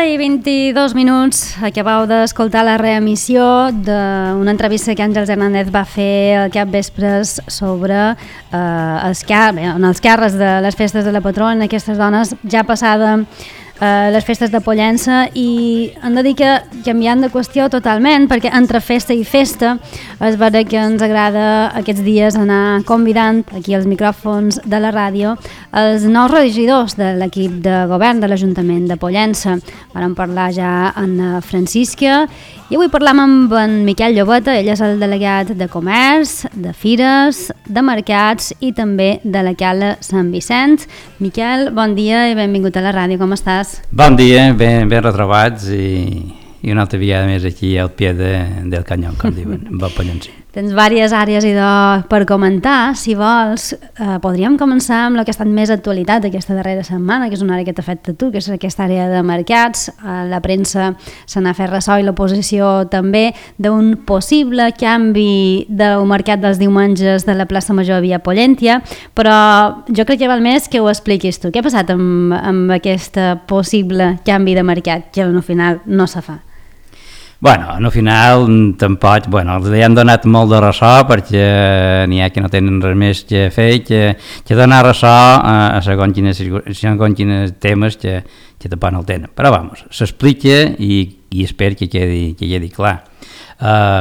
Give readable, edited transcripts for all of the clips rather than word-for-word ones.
11:22. Acabeu d'escoltar la reemissió d'una entrevista que Àngels Hernández va fer al capvespres sobre els càrrecs de les festes de la patrona, aquestes dones ja passada les festes de Pollença, i hem de dir que canviant de qüestió totalment, perquè entre festa i festa és vera que ens agrada aquests dies anar convidant aquí als micròfons de la ràdio els nous regidors de l'equip de govern de l'Ajuntament de Pollença. Vam parlar ja amb Francisca i avui parlam amb en Miquel Llobeta. Ell és el delegat de Comerç, de Fires, de Mercats i també de la Cala Sant Vicent. Miquel, bon dia i benvingut a la ràdio, com estàs? Bon dia, ben retrobats i una altra vegada més aquí al pie del canyó, com diuen, amb el Pollencí. Tens diverses àrees per comentar. Si vols, podríem començar amb el que ha estat més actualitat aquesta darrera setmana, que és una àrea que t'afecta a tu, que és aquesta àrea de mercats. La premsa se n'ha fet ressò i l'oposició també d'un possible canvi del mercat dels diumenges de la plaça Major a Via Pollentia, però jo crec que val més que ho expliquis tu. Què ha passat amb aquest possible canvi de mercat que al final no se fa? Bueno, al final tampoc, els han donat molt de ressò perquè n'hi ha que no tenen res més que fer que donar ressò a segons quines temes que tampoc no el tenen. Però s'explica i espero que quedi clar.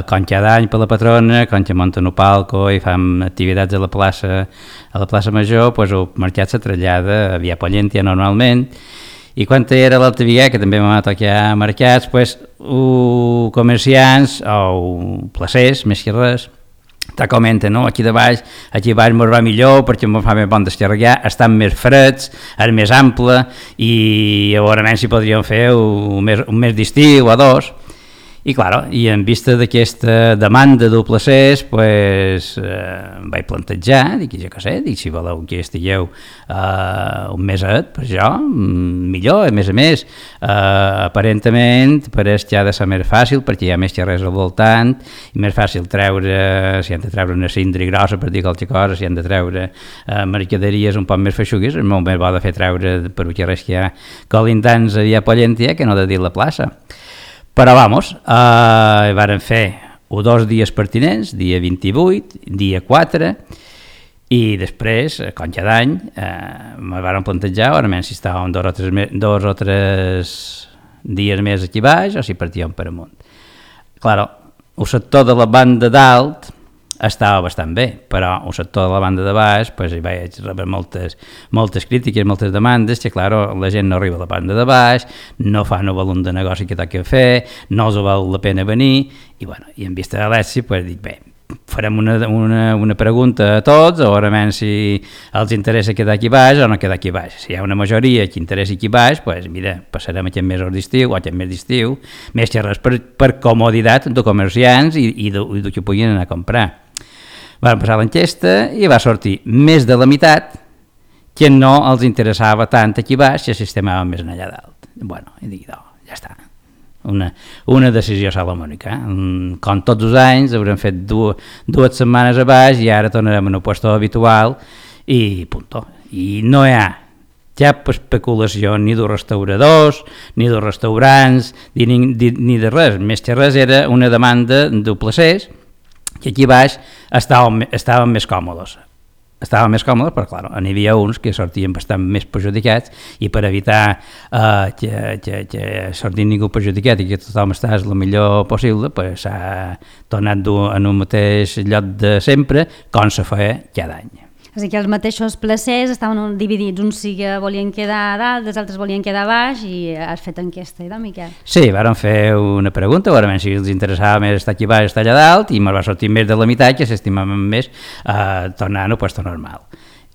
Com cada any per la patrona, com que munten un palco i fan activitats a la plaça Major, el mercat se trasllada a Via Pollentia normalment. I quan era l'altra vegada, que també m'ha tocat mercats, comerciants o placers, més que res, te comenten, no? Aquí baix mos va millor perquè mos fa més bon descarregar, estan més freds, és més ample i a veure si podríem fer un mes d'estiu o dos. I clar, en vista d'aquesta demanda de placers, vaig plantejar, dic si voleu que estigueu un meset, per això, millor, a més, aparentment pareix que ha de ser més fàcil, perquè hi ha més xerrers al voltant, i més fàcil treure, si han de treure una cindra grossa per dir qualque cosa, si han de treure mercaderies un poc més feixugues, és molt més bo de fer treure per xerrers que hi ha colindants a Via Pollentia que no de dir la plaça. Però varen fer 2 dies pertinents, dia 28, dia 4, i després, com cada any, me varen plantejar si estàvem 2 o 3 dies més aquí baix o si partíem per amunt. Clar, el sector de la banda dalt estava bastant bé, però el sector de la banda de baix hi vaig rebre moltes crítiques, moltes demandes, que la gent no arriba a la banda de baix, no fan el volum de negoci que toca fer, no els val la pena venir, i en vista de l'èxit dic, farem una pregunta a tots, a veure si els interessa quedar aquí baix o no quedar aquí baix. Si hi ha una majoria que interessa aquí baix, mira, passarem aquest mes d'estiu o aquest mes d'estiu, més que res per comoditat de comerciants i del que puguin anar a comprar. Van passar l'enquesta i va sortir més de la meitat que no els interessava tant aquí baix que si estem més allà dalt. I dic, ja està. Una decisió salomònica. Com tots els anys haurem fet 2 setmanes a baix i ara tornarem a un puesto habitual i punto. I no hi ha cap especulació ni dels restauradors, ni dels restaurants, ni de res. Més que res era una demanda de placers que aquí baix estaven més còmodes. Estaven més còmodes, però clar, n'hi havia uns que sortien bastant més perjudicats i per evitar que sortís ningú perjudicat i que tothom estàs el millor possible, s'ha tornat en un mateix lloc de sempre, com se feia cada any. És a dir, que els mateixos placers estaven dividits, uns sí que volien quedar a dalt, els altres volien quedar a baix, i has fet enquesta, no, Miquel? Sí, vàrem fer una pregunta, a veure si els interessava més estar aquí baix o estar allà dalt, i me'n va sortir més de la meitat que s'estimaven més tornar a un puesto normal.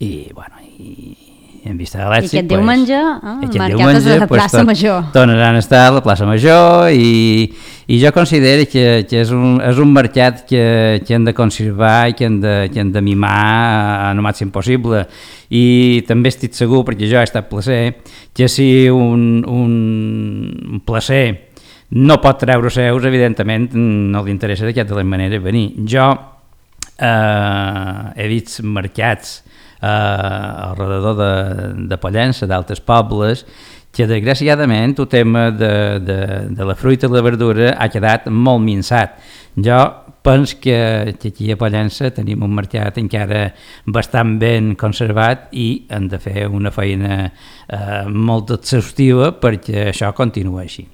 I en vista de l'èxit... I aquest diumenge, mercat de la plaça Major. Tornaran a estar a la plaça Major i jo considero que és un mercat que hem de conservar i que hem de mimar al màxim possible. I també estic segur, perquè jo he estat placer, que si un placer no pot treure seus, evidentment no li interessa d'aquesta manera venir. Jo he vist mercats al redador de Pollença, d'altres pobles, que desgraciadament el tema de la fruita i la verdura ha quedat molt minçat. Jo penso que aquí a Pollença tenim un mercat encara bastant ben conservat i hem de fer una feina molt exhaustiva perquè això continua així.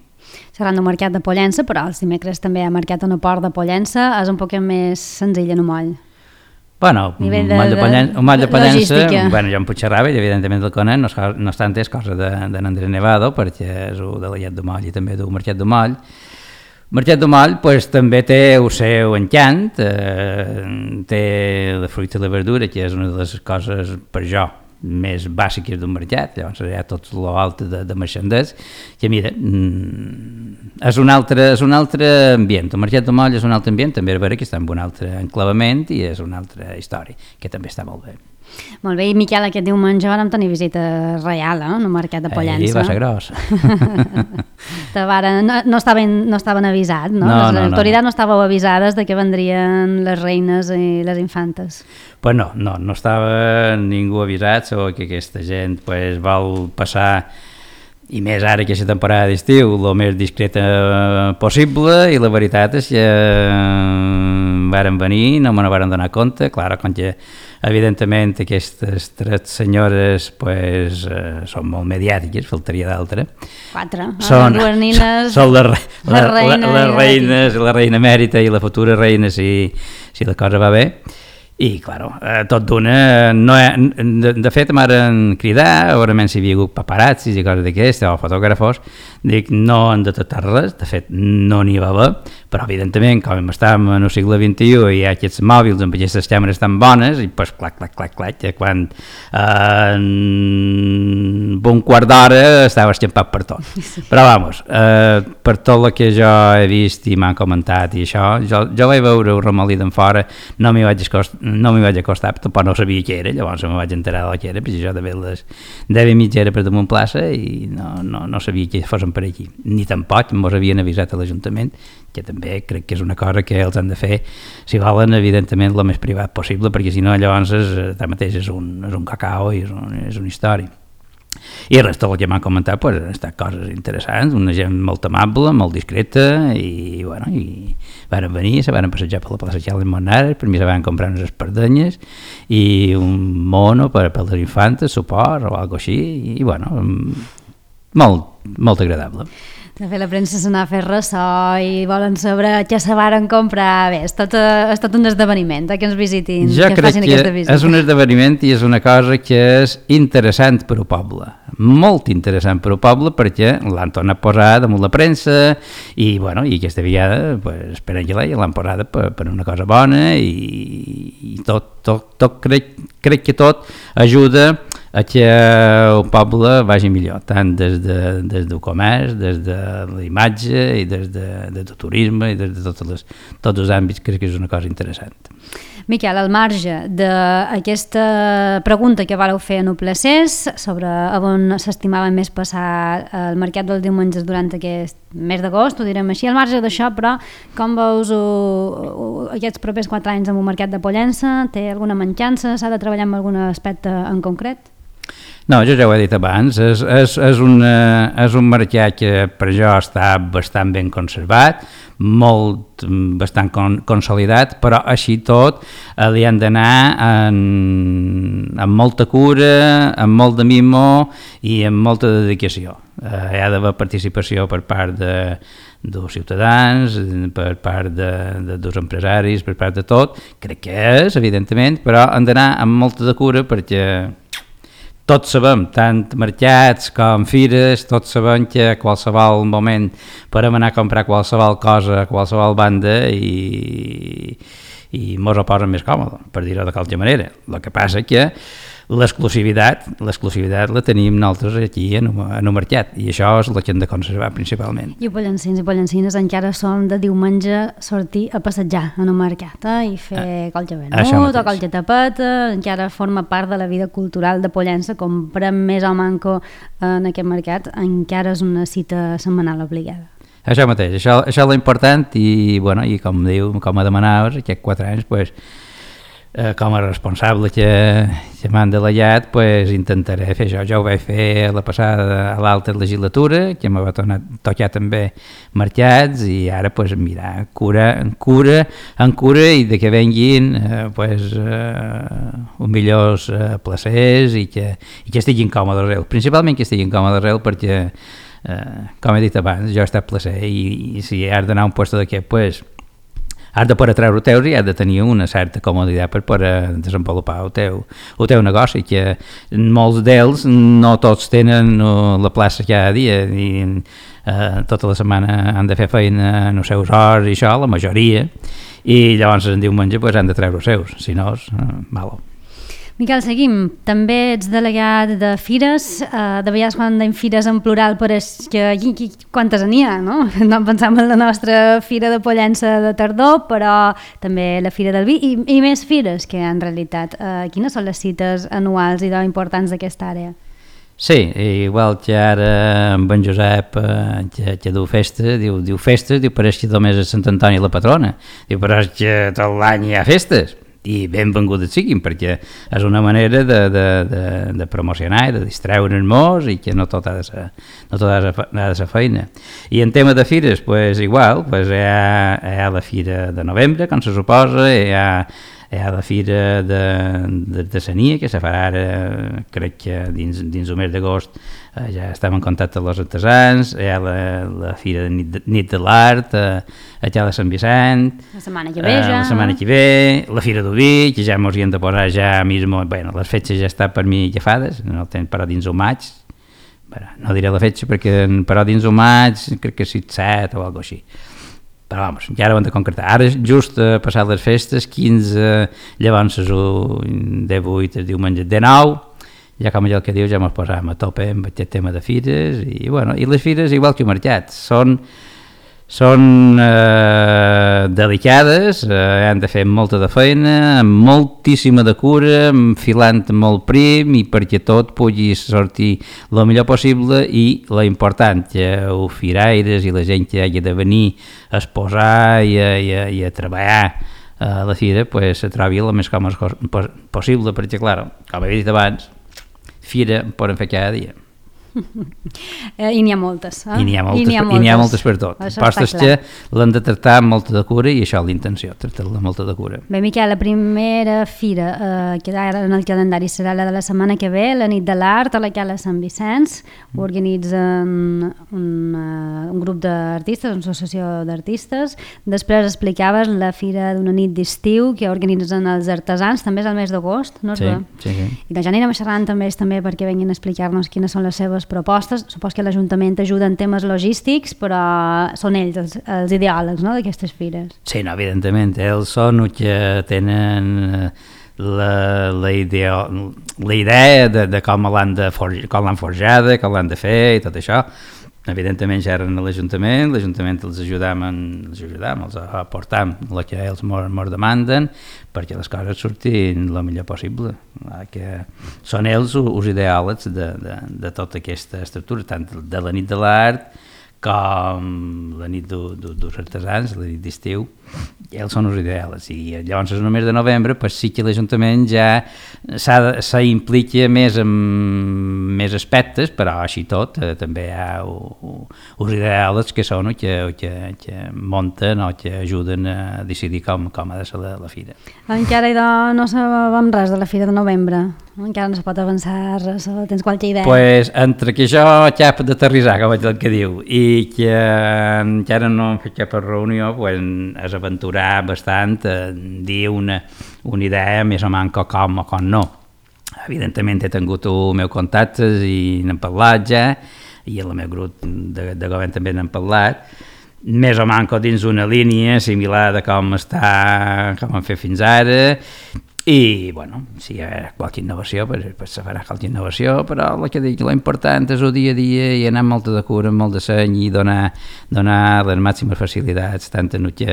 Seran del mercat de Pollença, però els dimecres també hi ha mercat en el port de Pollença, és un poc més senzill en un moll. Bueno, un moll de Pollença, bueno, jo em Puigcerrava i evidentment el conec, no obstant és cosa d'en Andrés Nevado, perquè és un delegat de moll i també d'un mercat de moll. Mercat de moll pues, també té el seu encant, té la fruita i la verdura, que és una de les coses per jo més bàsiques d'un mercat, llavors hi ha tot l'altre de marxanders, que mira, és un altre ambient, el mercat de moll és un altre ambient, també és vera que està en un altre enclavament i és una altra història, que també està molt bé. Molt bé, i Miquel, aquest diumenge vam tenir visita reial, en el mercat de Pollença. Va ser gros. No estaven avisats, no? Les autoritats no estàveu avisades de que vendrien les reines i les infantes. Pues no estava ningú avisat sobre que aquesta gent pues, vol passar, i més ara que aquesta temporada d'estiu, el més discreta possible, i la veritat és que varen venir, no me n'han donar compte, clar, com que evidentment aquestes 3 senyores pues, són molt mediàtiques, faltaria d'altra. 4, dues nines, són les reines, la reina emèrita i la futura reina, si la cosa va bé. I, clar, tot d'una, de fet m'han cridat, segurament si hi havia hagut paparazzis i coses d'aquestes, o fotògrafos, dic, no han detectat res, de fet no n'hi va haver, però evidentment, com estem en el segle XXI i hi ha aquests mòbils amb aquestes càmeres tan bones, i pues clac, quan en un quart d'hora estava escampat per tot. Però vamos, per tot el que jo he vist i m'han comentat i això, jo vaig veure un remolí d'en fora, no m'hi vaig acostar, tampoc no sabia què era, llavors me vaig enterar del que era, perquè jo de veure les 10:30 era per damunt plaça i no sabia que fossin per aquí, ni tampoc mos havien avisat a l'Ajuntament, que també crec que és una cosa que els han de fer, si volen, evidentment, el més privat possible, perquè si no, llavors tanmateix és un cacao i és una història. I el resta del que m'han comentat pues, han estat coses interessants, una gent molt amable, molt discreta i van venir, se van passejar per la plaça Charles Monares, per mi se van comprar unes espardenyes i un mono per les infantes, suport o alguna així i molt agradable. De fet, la premsa se n'ha fet ressò i volen saber què se varen comprar. Bé, és tot un esdeveniment que ens visitin, que facin aquesta visita. És un esdeveniment i és una cosa que és interessant per al poble, molt interessant per al poble perquè l'han tornat a posar damunt la premsa i aquesta vegada pues, esperen que l'han posada per una cosa bona i tot crec que tot ajuda a que el poble vagi millor, tant des del comerç, des de la imatge i des del turisme i des de tots els àmbits, crec que és una cosa interessant. Miquel, al marge d'aquesta pregunta que vareu fer en Uplacés sobre on s'estimava més passar el mercat dels diumenges durant aquest mes d'agost, ho direm així, al marge d'això, però com veus aquests propers 4 anys amb el mercat de Pollença? Té alguna mancança? S'ha de treballar en algun aspecte en concret? No, jo ja ho he dit abans, és un mercat que per jo està bastant ben conservat, bastant consolidat, però així tot li han d'anar amb molta cura, amb molt de mimo i amb molta dedicació. Hi ha d'haver participació per part dels ciutadans, per part dels empresaris, per part de tot, crec que és, evidentment, però han d'anar amb molta de cura perquè tots sabem, tant mercats com fires, tots sabem que a qualsevol moment podem anar a comprar qualsevol cosa a qualsevol banda i mos ho posen més còmode, per dir-ho de qualsevol manera. El que passa és que l'exclusivitat la tenim nosaltres aquí en el mercat i això és el que hem de conservar principalment. I pollencins i pollencines encara som de diumenge sortir a passejar en el mercat i fer colge venut o colge tapeta, encara forma part de la vida cultural de Pollença, comprem més o manco en aquest mercat, encara és una cita setmanal obligada. Això mateix, això és l'important i com demanaves, aquests 4 anys, com a responsable que m'han delegat, pues, intentaré fer això. Jo ho vaig fer a l'altra legislatura, que me va tocar també mercats, i ara pues, mirar, cura i de que venguin uns millors placers i que estiguin còmodes ells. Principalment que estiguin còmodes ells perquè, com he dit abans, jo he estat placer i si has d'anar a un lloc d'aquest, pues, has de poder treure teus i has de tenir una certa comoditat per poder desenvolupar el teu negoci, que molts d'ells no tots tenen la plaça cada dia i tota la setmana han de fer feina en els seus hores i això, la majoria, i llavors en diumenge pues, han de treure els seus, si no és malo. Miquel, seguim. També ets delegat de fires. De vegades quan dèiem fires en plural pareix que quantes n'hi ha, no? No pensam en la nostra fira de Pollença de tardor, però també la fira del vi i més fires que en realitat. Quines són les cites anuals i importants d'aquesta àrea? Sí, igual que ara amb en Josep que diu festes, diu pareix que només és Sant Antoni la patrona, diu pareix que tot l'any hi ha festes. I benvingudes siguin, perquè és una manera de promocionar i de distreure'ns molt i que no tot ha de ser feina. I en tema de fires, pues, igual, pues, hi ha la fira de novembre, com se suposa, hi ha la fira de Sania, que se farà ara, crec que dins el mes d'agost, ja estem en contacte amb els artesans, hi ha la fira de nit de l'art, allà a Sant Vicent, la setmana que ve ja, la setmana que ve, la fira d'Ubi, que ja ens hi hem de posar ja mismo, bueno, les fetges ja estan per mi agafades, no tenen però dins el maig, no diré la fetge perquè però dins el maig crec que 7 o alguna cosa així. Però vamos, ja ara ho hem de concretar. Ara just passat les festes, 15, llavors el 18, el diumenge 19, ja com allò que diu, ja ens posàvem a tope amb aquest tema de fires, i bueno, i les fires, igual que el mercat, són delicades, han de fer molta de feina, amb moltíssima de cura, enfilant molt prim i perquè tot pugui sortir el millor possible i l'important que els firaires i la gent que hagi de venir a exposar i a treballar a la fira pues, se trobi el més còmode possible, perquè clar, com he dit abans, fira en poden fer cada dia. I n'hi ha moltes. I n'hi ha moltes per tot. Postes que l'han de tractar amb molta de cura i això és l'intenció, tractar-la amb molta de cura. Bé, Miquel, la primera fira que ara en el calendari serà la de la setmana que ve, la nit de l'art a la Cala Sant Vicenç. Ho organitzen un grup d'artistes, una associació d'artistes. Després explicaves la fira d'una nit d'estiu que organitzen els artesans, també és el mes d'agost, no és bé? Sí. I que ja anirem xerrant també perquè venguin a explicar-nos quines són les seves propostes. Supos que l'Ajuntament ajuda en temes logístics, però són ells els ideòlegs, no?, d'aquestes fires. Sí, no, evidentment, ells són els que tenen la idea de com l'han forjada, com l'han de fer i tot això. Evidentment ja eren a l'Ajuntament els ajudam, els aportam el que ells ens demanden perquè les coses surtin el millor possible. Que són ells els ideòlegs de tota aquesta estructura, tant de la nit de l'art com la nit dels artesans, la nit d'estiu, ells són els ideals. I llavors en el mes de novembre pues, sí que l'Ajuntament ja s'implica més en més aspectes, però així tot també hi ha els ideals que són que munten o que ajuden a decidir com ha de ser la fira. Encara no sabem res de la fira de novembre? Encara no se pot avançar res? Tens qualque idea? Pues, entre que jo cap d'aterrissar, com el que diu, i que encara no hem fet cap reunió, pues, és aventurar bastant dir una idea més o menys com o com no. Evidentment he tingut els meus contactes i n'hem parlat ja, i el meu grup de govern també n'hem parlat, més o menys dins una línia similar de com hem fet fins ara, i, bueno, si hi ha qualque innovació, pues se farà qualque innovació, però el que dic, l'important és el dia a dia i anar amb molta de cura, amb molt de seny i donar les màximes facilitats, tant en el que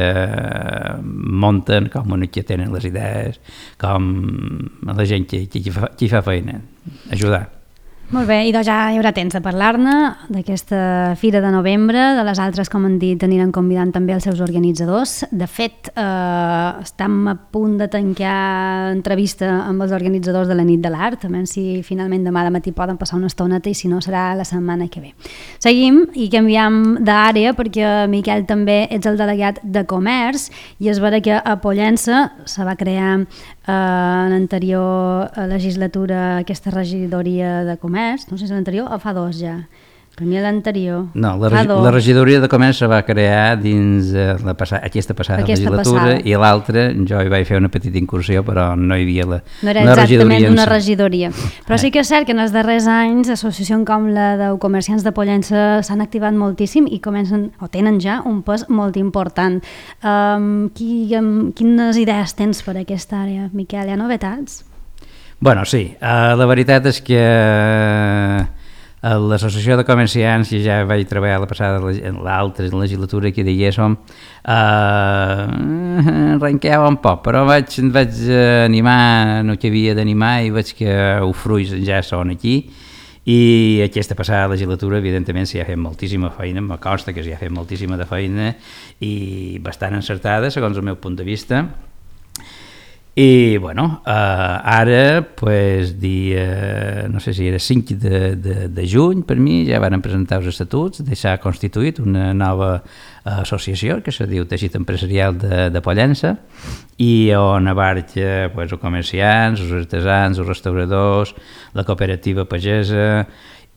munten com en el que tenen les idees, com a la gent que fa feina, ajudar. Molt bé, i doncs ja hi haurà temps de parlar-ne d'aquesta Fira de Novembre, de les altres, com han dit, aniran convidant també els seus organitzadors. De fet, estem a punt de tancar entrevista amb els organitzadors de la Nit de l'Art, també si finalment demà de matí poden passar una estoneta i si no serà la setmana que ve. Seguim i canviem d'àrea perquè, Miquel, també ets el delegat de Comerç i és vera que a Pollença se va crear en l'anterior legislatura aquesta regidoria de comerç, no sé si l'anterior o fa 2 ja, per mi l'anterior. No, la regidoria de comerç se va crear dins aquesta passada legislatura i l'altra jo hi vaig fer una petita incursió però no hi havia no era exactament una regidoria, però sí que és cert que en els darrers anys associacions com la de comerciants de Pollença s'han activat moltíssim i comencen o tenen ja un pes molt important. Quines idees tens per aquesta àrea, Miquel? Hi ha novetats? Bueno, sí, la veritat és que l'associació de comerciants, que ja vaig treballar l'altra legislatura que diguéssim, arrenquava un poc, però vaig animar el que havia d'animar i veig que els fruits ja són aquí i aquesta passada legislatura evidentment s'hi ha fet moltíssima feina, me consta que s'hi ha fet moltíssima de feina i bastant encertada segons el meu punt de vista. I bueno, ara pues, no sé si era 5 de juny per mi ja van presentar els estatuts, s'ha constituït una nova associació que se diu Teixit Empresarial de Pollença i on abarca pues, els comerciants, els artesans, els restauradors, la cooperativa pagesa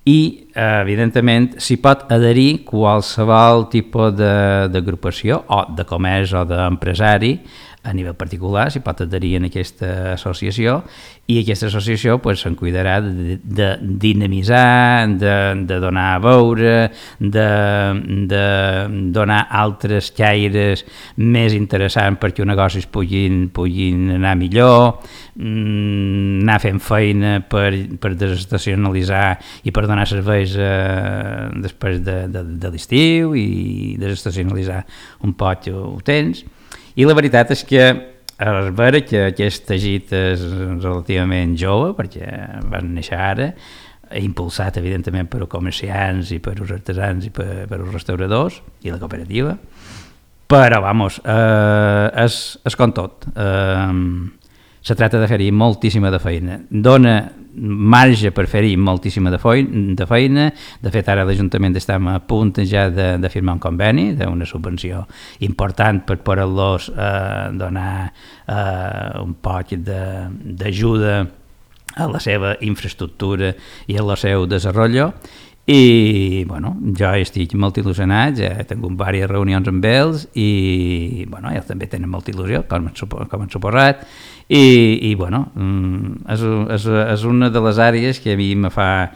i evidentment s'hi pot adherir qualsevol tipus d'agrupació o de comerç o d'empresari a nivell particular, s'hi pot adherir en aquesta associació i aquesta associació pues, se'n cuidarà de dinamitzar, de donar a veure, de donar altres caires més interessants perquè els negocis puguin anar millor, anar fent feina per desestacionalitzar i per donar serveis després de l'estiu i desestacionalitzar un poc el temps. I la veritat és que és vera que aquest teixit és relativament jove, perquè van néixer ara, impulsat evidentment per els comerciants i per els artesans i per els restauradors i la cooperativa, però vamos, és com tot. Se tracta de fer-hi moltíssima de feina. Dona marge per fer-hi moltíssima de feina. De fet, ara l'Ajuntament estem a punt ja de firmar un conveni d'una subvenció important per poder-los donar un poc d'ajuda a la seva infraestructura i al seu desenvolupament. I bueno, jo estic molt il·lusionat, ja he tingut diverses reunions amb ells i bueno, ells també tenen molta il·lusió, com han suposat, i bueno, és una de les àrees que a mi me fa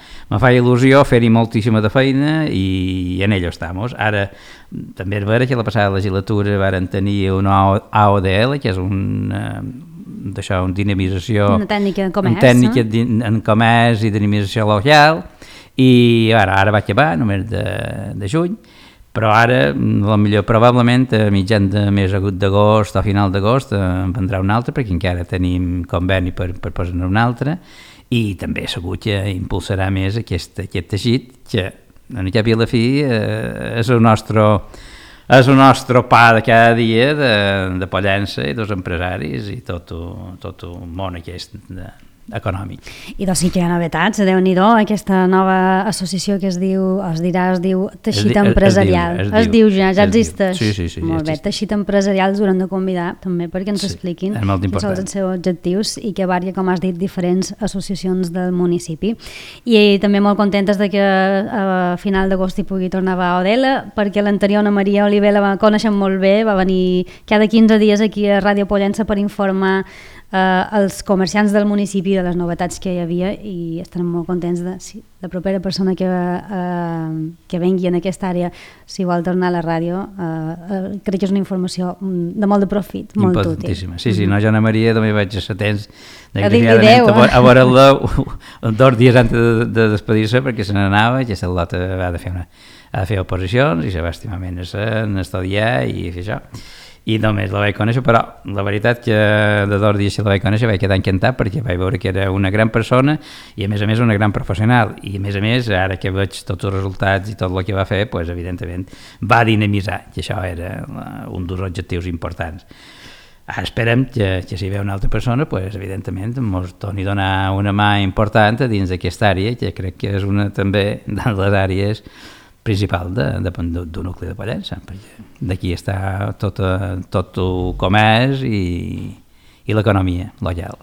il·lusió fer-hi moltíssima de feina i en ello estamos. Ara també és vera que la passada legislatura varen tenir una AODL, que és una dinamització, una tècnica en comerç, en comerç i dinamització local, i ara va acabar només de juny, però ara potser probablement a mitjan de mes d'agost o final d'agost en vendrà un altre perquè encara tenim conveni per posar-ne un altre i també segur que impulsarà més aquest teixit que en cap i a la fi és el nostre pa de cada dia de Pollença i dels empresaris i tot el món aquest econòmic. I doncs sí que hi ha novetats, Déu-n'hi-do, aquesta nova associació que es diu Teixit Empresarial. Es diu ja existeix. Sí. Molt bé, Teixit Empresarial us hauran de convidar també perquè ens expliquin quins són els seus objectius i que varia, com has dit, diferents associacions del municipi. I també molt contentes de que a final d'agost hi pugui tornar a Odela, perquè l'anterior Ana Maria Oliver la coneixem molt bé, va venir cada 15 dies aquí a Ràdio Pollença per informar els comerciants del municipi de les novetats que hi havia i estarem molt contents de la propera persona que vengui en aquesta àrea, si vol tornar a la ràdio, crec que és una informació de molt de profit, molt útil. Sí, no, jo Ana Maria també vaig estar atents a veure-la 2 dies antes de despedir-se perquè se n'anava i aquesta lota ha de fer oposicions i se va estimar menys en estudiar i fer això. i només la vaig conèixer, però la veritat que de 2 dies que la vaig conèixer vaig quedar encantat perquè vaig veure que era una gran persona i a més una gran professional, i a més ara que veig tots els resultats i tot el que va fer, pues, evidentment va dinamitzar, i això era un dels objectius importants. Ara esperem que si ve una altra persona, pues, evidentment ens torni a donar una mà important dins d'aquesta àrea, que crec que és una també de les àrees principal d'un nucli de Pollença, perquè d'aquí està tot el comerç i l'economia local.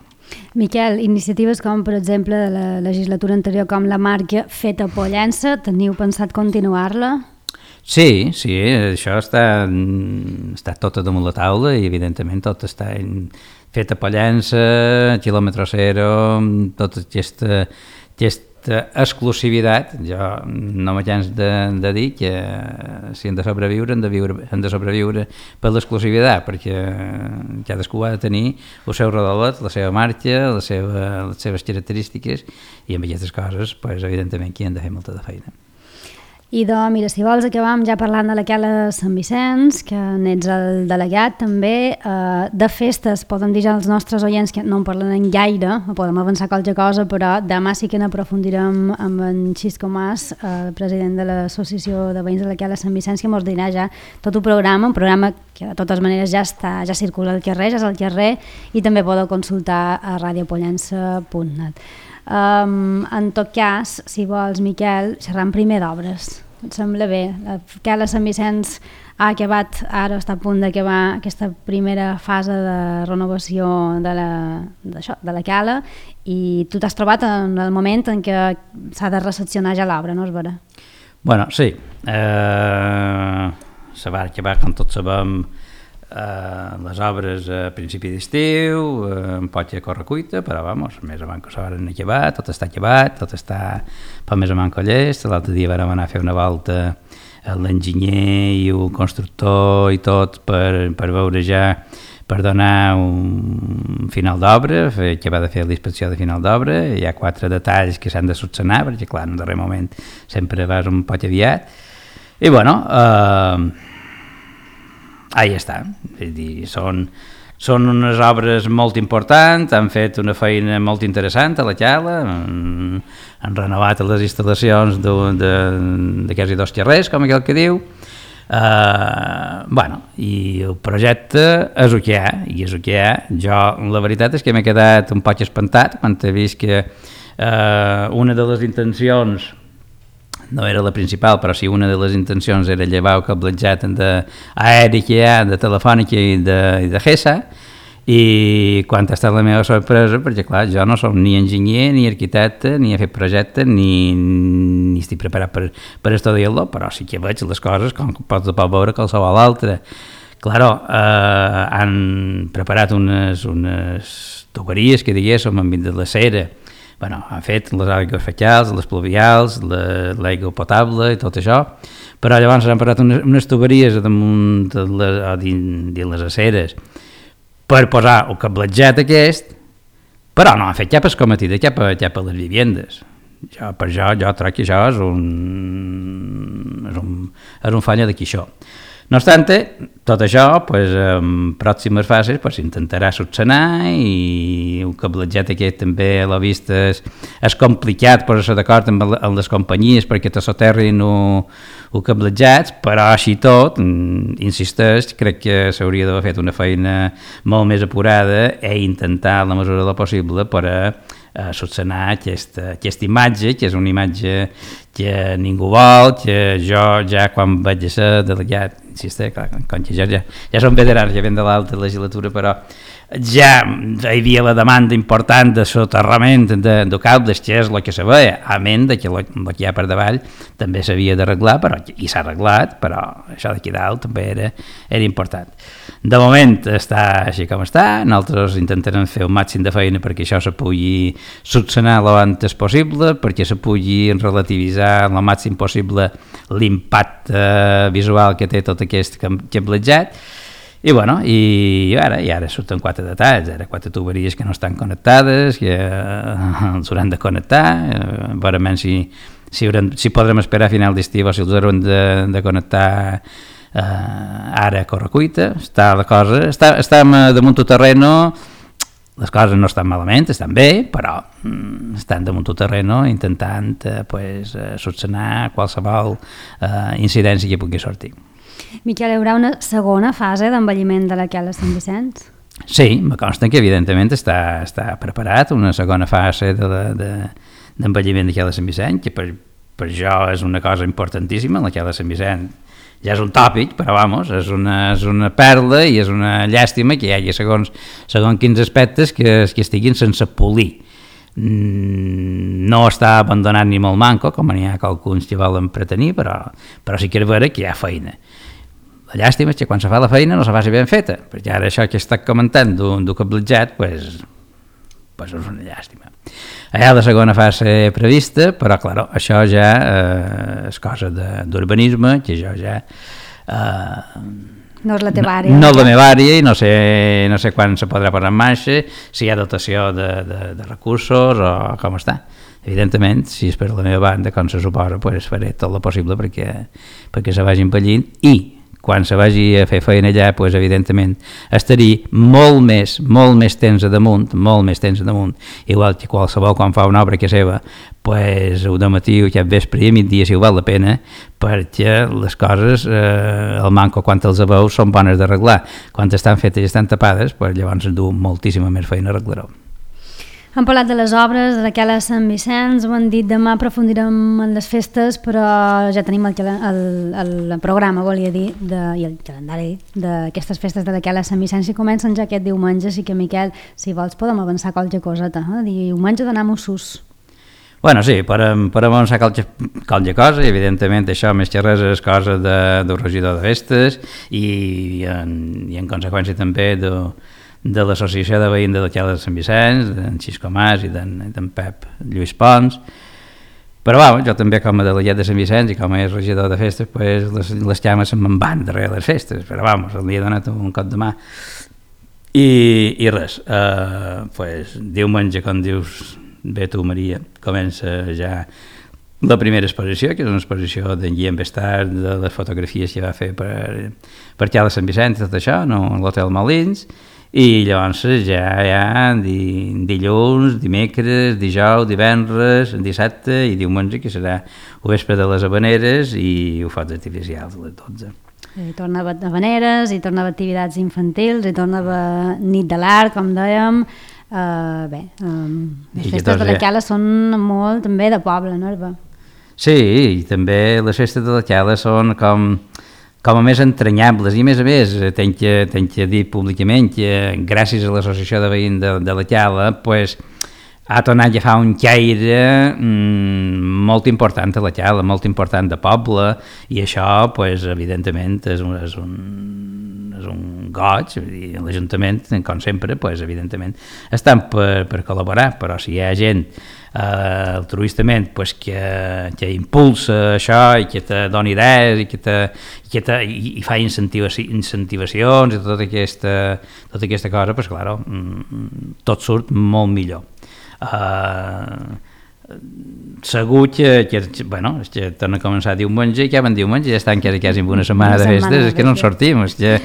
Miquel, iniciatives com, per exemple, de la legislatura anterior, com la marca Feta Pollença, teniu pensat continuar-la? Sí, això està tot damunt la taula i evidentment tot està Feta Pollença, quilòmetre zero, tota aquesta exclusivitat. Jo no me canso de dir que si han de sobreviure, han de sobreviure per l'exclusivitat, perquè cadascú ha de tenir el seu rodolet, la seva marca, les seves característiques, i amb aquestes coses, pues, evidentment, que han de fer molta de feina. I mira, si vols acabam ja parlant de la Cala Sant Vicenç, que n'ets el delegat també, de festes, podem dir ja als nostres oients que no en parlen gaire, podem avançar qualque cosa, però demà sí que n'aprofundirem amb en Xisco Mas, president de l'Associació de Veïns de la Cala Sant Vicenç, que ens dirà ja tot un programa que de totes maneres ja circula al carrer, ja és al carrer, i també podeu consultar a radiopollença.net. En tot cas, si vols, Miquel, xerram primer d'obres. Et sembla bé? La Cala Sant Vicenç ha acabat, ara està a punt d'acabar aquesta primera fase de renovació de la cala, i tu t'has trobat en el moment en què s'ha de recepcionar ja l'obra, no és vera? Bueno, sí. Se va acabar, com tots sabem, les obres a principi d'estiu, un poc a correcuita, però vamos, més o menys que s'han acabat, tot està acabat, tot està per més o menys llest. L'altre dia vam anar a fer una volta a l'enginyer i el constructor i tot per veure ja, per donar un final d'obra, que va de fer l'inspecció de final d'obra. Hi ha 4 detalls que s'han de solucionar, perquè clar, en el darrer moment sempre vas un poc aviat, i bueno, ahí està. És dir, són unes obres molt importants, han fet una feina molt interessant a la Cala, han renovat les instal·lacions de quasi 2 carrers, com aquell que diu. I el projecte és el que hi ha, i és el que hi ha. Jo, la veritat és que m'he quedat un poc espantat quan he vist que una de les intencions, no era la principal, però sí una de les intencions era llevar el cablejat d'aeri que hi ha, de Telefònica i de GESA, i quan ha estat la meva sorpresa, perquè clar, jo no soc ni enginyer, ni arquitecte, ni he fet projecte, ni estic preparat per estudiar-lo, però sí que veig les coses com pots veure qualsevol altre. Claro, han preparat unes tuberies, que diguéssim, enmig de la cera. Han fet les aigües fecals, les pluvials, l'aigua potable i tot això, però llavors han posat unes tuberies damunt de les aceres per posar el cablejat aquest, però no han fet cap escometida cap a les vivendes. Jo crec que això és un falla d'aquí això. No obstant, tot això, en pròximes fases, s'intentarà solucionar, i el cablejat aquest també a la vista és complicat posar-se d'acord amb les companyies perquè te soterrin el cablejat, però així tot, insisteix, crec que s'hauria d'haver fet una feina molt més apurada i intentar, a la mesura del possible, per solucionar aquesta imatge, que és una imatge que ningú vol, que jo ja quan vaig ser delegat, insisteix, com que ja som veterans, ja ven de l'altra legislatura, però ja hi havia la demanda important de soterrament de cables, que és el que se veia, a menys que el que hi ha per davall també s'havia d'arreglar, i s'ha arreglat, però això d'aquí dalt també era important. De moment està així com està, nosaltres intentarem fer el màxim de feina perquè això se pugui solucionar l'abans possible, perquè se pugui relativitzar el màxim possible l'impacte visual que té tot aquest cablejat. I ara surten 4 detalls, 4 tuberies que no estan connectades, que els hauran de connectar, veurem si podrem esperar a final d'estiu o si els hauran de connectar Ara a correcuita, està la cosa, estem damunt el terreno, les coses no estan malament, estan bé, però estan damunt el terreno intentant solucionar qualsevol incidència que pugui sortir. Miquel, hi haurà una segona fase d'envelliment de la Quel de Sant Vicenç? Sí, me consta que evidentment està preparat una segona fase d'envelliment de Quel de Sant Vicenç, que per jo és una cosa importantíssima. La Quel de Sant Vicenç ja és un tòpic, però vamos, és una perla i és una llàstima que hi hagi segons quins aspectes que estiguin sense polir. No està abandonat ni molt manco, com n'hi ha alguns que volen pretenir, però sí que és vera que hi ha feina. La llàstima és que quan se fa la feina no se faci ben feta, perquè ara això que he estat comentant d'un cablejat, és una llàstima. Hi ha la segona fase prevista, però, clar, això ja és cosa d'urbanisme, que jo ja... No és la teva àrea. No és la meva àrea i no sé quan se podrà posar en marxa, si hi ha dotació de recursos o com està. Evidentment, si és per la meva banda, com se suposa, faré tot el possible perquè se vagi envellint i quan se vagi a fer feina allà, evidentment, estaria molt més temps a damunt, igual que qualsevol quan fa una obra que seva, ho de matí o cap vespre i a migdia si ho val la pena, perquè les coses, el manco quan els veu són bones d'arreglar. Quan estan fetes i estan tapades, llavors es du moltíssima més feina a arreglar-ho. Hem parlat de les obres, de la Quel de Sant Vicenç, ho han dit, demà aprofundirem en les festes, però ja tenim el programa, volia dir, i el calendari d'aquestes festes de la Quel de Sant Vicenç, i comencen ja aquest diumenge, així que, Miquel, si vols podem avançar qualque coseta, diumenge d'anar a Mossos. Bueno, sí, podem avançar qualque cosa, i evidentment això més que res és cosa del regidor de festes i en conseqüència també de l'associació de veïns de la Quel de Sant Vicenç, d'en Xisco Mas i d'en Pep Lluís Pons. Però jo també com a delegat de Sant Vicenç i com a regidor de festes, les llames se'n van darrere les festes, però li he donat un cop de mà. I res, diumenge, com dius bé tu, Maria, comença ja la primera exposició, que és una exposició d'en Guillem Bestard, de les fotografies que va fer per Quel de Sant Vicenç, tot això, a l'Hotel Molins. I llavors ja hi ha dilluns, dimecres, dijous, divendres, dissabte i diumenge, que serà el vespre de les Havaneres i ho focs artificials a les 12. Hi torna a Havaneres, hi torna a activitats infantils, hi torna a nit de l'art, com dèiem. Les festes de la Quel són molt també de poble, no, Herba? Sí, i també les festes de la Quel són com a més entranyables, i a més tenc que dir públicament que gràcies a l'associació de veïns de la Quel ha tornat a agafar un caire molt important a la Quel, molt important de poble, i això evidentment és un goig. L'Ajuntament, com sempre, evidentment estan per col·laborar, però si hi ha gent altruistament que impulsa això i que te dona idees i fa incentivacions i tota aquesta cosa, clar, tot surt molt millor. Segur que torna a començar diumenge i que van diumenge ja estan quasi amb una setmana de festes, és que no en sortim, és que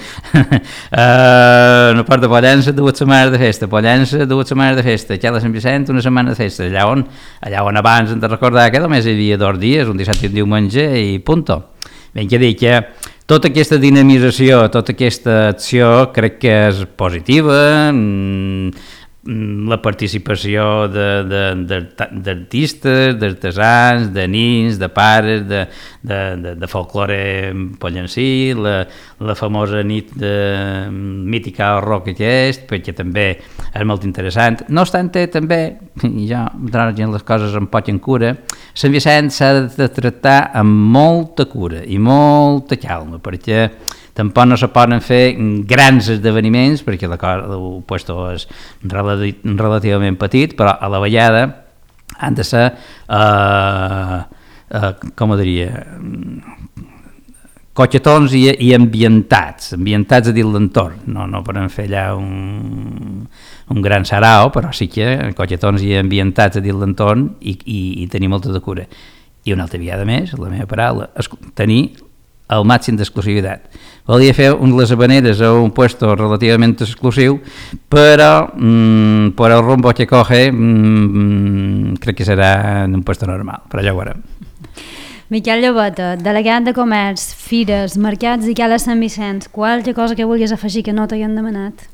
no porta Pollença 2 setmanes de festa, Pollença 2 setmanes de festa, Quel de Sant Vicenç una setmana de festa, allà on abans hem de recordar que només hi havia 2 dies, un dissabte i un diumenge i punto. Ben que dir que tota aquesta dinamització, tota aquesta acció crec que és positiva, la participació d'artistes, d'artesans, de nins, de pares, de folklore pollencí, la famosa nit mítica al rock aquest, perquè també és molt interessant. No obstant, també, i jo, les coses amb poc en cura, Sant Vicenç s'ha de tractar amb molta cura i molta calma, perquè tampoc no se poden fer grans esdeveniments, perquè el puesto és relativament petit, però a la vegada han de ser, com ho diria, cochetons i ambientats a dins l'entorn. No podem fer allà un gran sarau, però sí que cochetons i ambientats a dins l'entorn i tenir molta de cura. I una altra vegada més, la meva paraula, tenir al màxim d'exclusivitat. Volia fer les habaneres a un puesto relativamente exclusiu, però por el rumbo que coge crec que serà en un puesto normal, però ja ho veurem. Miquel Llobeta, delegat de Comerç, Fires, Mercats i Cala Sant Vicenç, qualque cosa que vulguis afegir que no t'haguem demanat?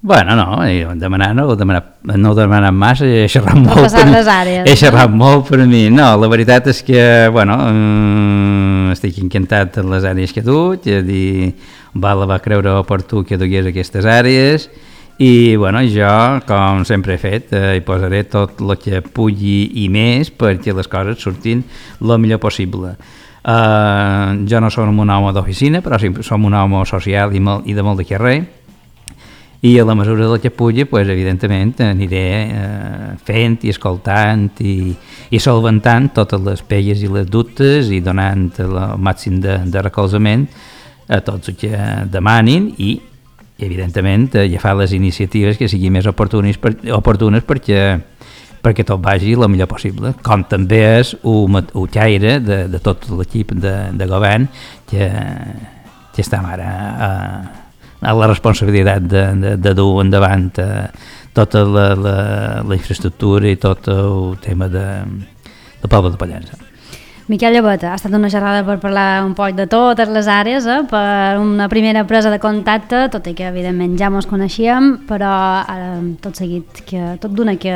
Bueno, no, no he demanat massa, he xerrat molt, he xerrat molt per mi. No, la veritat és que, bueno, estic encantat de les àrees que he dut, va creure oportú que dugués aquestes àrees, i bueno, jo, com sempre he fet, hi posaré tot el que pugui i més perquè les coses surtin el millor possible. Jo no som un home d'oficina, però som un home social i de molt de carrer, i a la mesura del que pugui, pues, evidentment, aniré fent i escoltant i solventant totes les pegues i les dubtes i donant el màxim de recolzament a tots els que demanin i evidentment, agafar les iniciatives que siguin més oportunes perquè tot vagi el millor possible, com també és un caire de tot l'equip de govern que estem ara a la responsabilitat de dur endavant tota la infraestructura i tot el tema del poble de Pollença. Miquel Llobeta, ha estat una xerrada per parlar un poc de totes les àrees, per una primera presa de contacte, tot i que evidentment ja mos coneixíem, però tot seguit, tot d'una que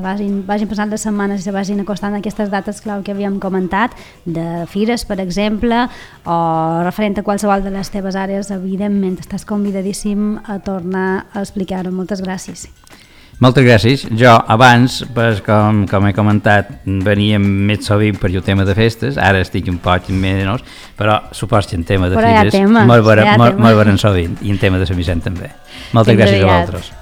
vagin passant les setmanes i se vagin acostant aquestes dates clau que havíem comentat, de fires, per exemple, o referent a qualsevol de les teves àrees, evidentment estàs convidadíssim a tornar a explicar-ho. Moltes gràcies. Moltes gràcies. Jo abans, pues, com he comentat, veníem més sovint per el tema de festes, ara estic un poc menys, però supos que en tema de fires molt veurem sovint, i en tema de Sant Vicent també. Moltes gràcies a vosaltres.